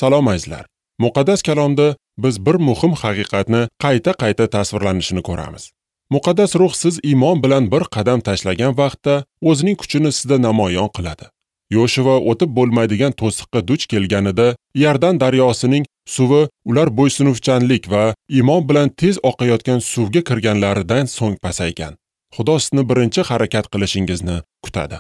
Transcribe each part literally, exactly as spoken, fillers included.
Salom azizlar. Muqaddas kalomda biz bir muhim haqiqatni qayta-qayta tasvirlanishini ko'ramiz. Muqaddas ruh siz iymon bilan bir qadam tashlagan vaqtda o'zining kuchini sizda namoyon qiladi. Yoshua o'tib bo'lmaydigan to'siqqa duch kelganida Iordan daryosining suvi ular bo'ysunuvchanlik va iymon bilan tez oqayotgan suvga kirganlaridan so'ng pasaygan. Xudo sizni birinchi harakat qilishingizni kutadi.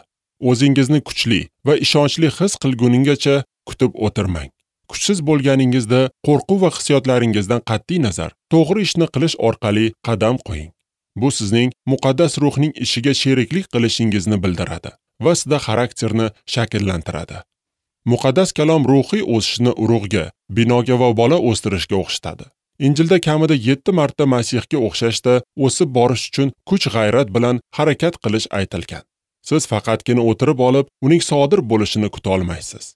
O'zingizni kuchli va ishonchli his qilguningizcha kutib o'tirmang. Kuchsiz bo'lganingizda qo'rquv va hissiyotlaringizdan qat'iy nazar to'g'ri ishni qilish orqali qadam qo'ying. Bu sizning muqaddas ruhning ishiga sheriklik qilishingizni bildiradi va sizda xarakterni shakllantiradi. Muqaddas kalom ruhiy o'sishni urug'ga, binoga va bola o'stirishga o'xshatadi. Injilda kamida yetti marta Masihga o'xshashda o'sib borish uchun kuch-g'ayrat bilan harakat qilish aytilgan. Siz faqatgina o'tirib olib, uning sodir bo'lishini kuta olmaysiz.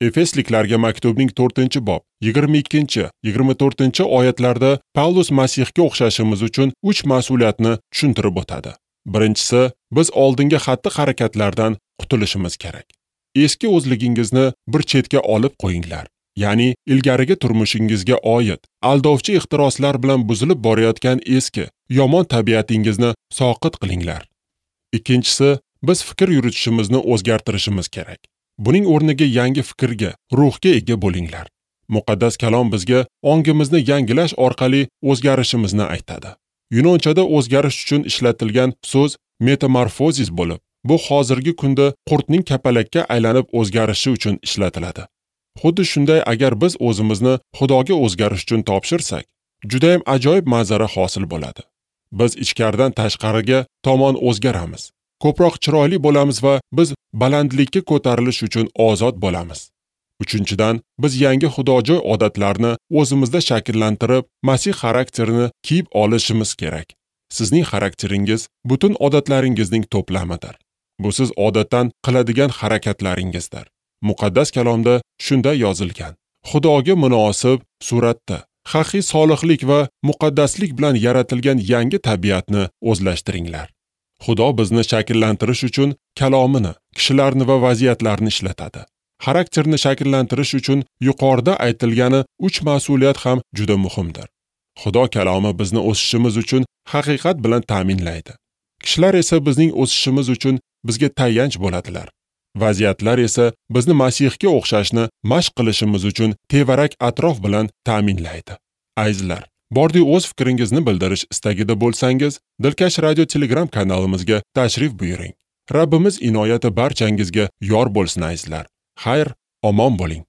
Efesliklarga maktubning to'rtinchi bob, yigirma ikkinchi, yigirma to'rtinchi oyatlarda Pavlus Masihga o'xshashimiz uchun uch mas'uliyatni tushuntirib o'tadi. Birinchisi, biz oldingi xatti-harakatlardan qutulishimiz kerak. Eski o'zligingizni bir chetga olib qo'yinglar. Ya'ni ilgarigi turmushingizga oid aldovchi ixtiroslar bilan buzilib borayotgan eski, yomon tabiatingizni soqit qilinglar. Ikkinchisi, biz fikr yuritishimizni o'zgartirishimiz kerak. Buning o'rniga yangi fikrga, ruhga ega bo'linglar. Muqaddas kalom bizga ongimizni yangilash orqali o'zgarishimizni aytadi. Yunonchada o'zgarish uchun ishlatilgan so'z metamorfozis bo'lib, bu hozirgi kunda qurtning kapalakka aylanib o'zgarishi uchun ishlatiladi. Xuddi shunday, agar biz o'zimizni Xudoga o'zgarish uchun topshirsak, juda ham ajoyib manzara hosil bo'ladi. Biz ichkaridan tashqariga tomon o'zgaramiz. Ko'proq chiroyli bo'lamiz va biz balandlikka ko'tarilish uchun ozod bo'lamiz. Uchinchidan, biz yangi xudojo'y odatlarni o'zimizda shakllantirib, Masih xarakterini kiyib olishimiz kerak. Sizning xarakteringiz butun odatlaringizning to'plamidir. Bu siz odatdan qiladigan harakatlaringizdir. Muqaddas kalomda shunday yozilgan: Xudoga munosib suratda, haqiqiy solihlik va muqaddaslik bilan yaratilgan yangi tabiatni o'zlashtiringlar. Xudo bizni shakllantirish uchun kalomini, kishilarni va vaziyatlarni ishlatadi. Xarakterni shakllantirish uchun yuqorida aytilgani uch mas'uliyat ham juda muhimdir. Xudo kalomi bizni o'sishimiz uchun haqiqat bilan ta'minlaydi. Kishilar esa bizning o'sishimiz uchun bizga tayanch bo'ladilar. Vaziyatlar esa bizni Masihga o'xshashni mashq qilishimiz uchun tevarak atrof bilan ta'minlaydi. Azizlar, bordi o'z fikringizni bildirish istagida bo'lsangiz, Dilkash Radio Telegram kanalimizga tashrif buyuring. Rabbimiz inoyati barchangizga yor bo'lsin azizlar. Xayr, omon bo'ling.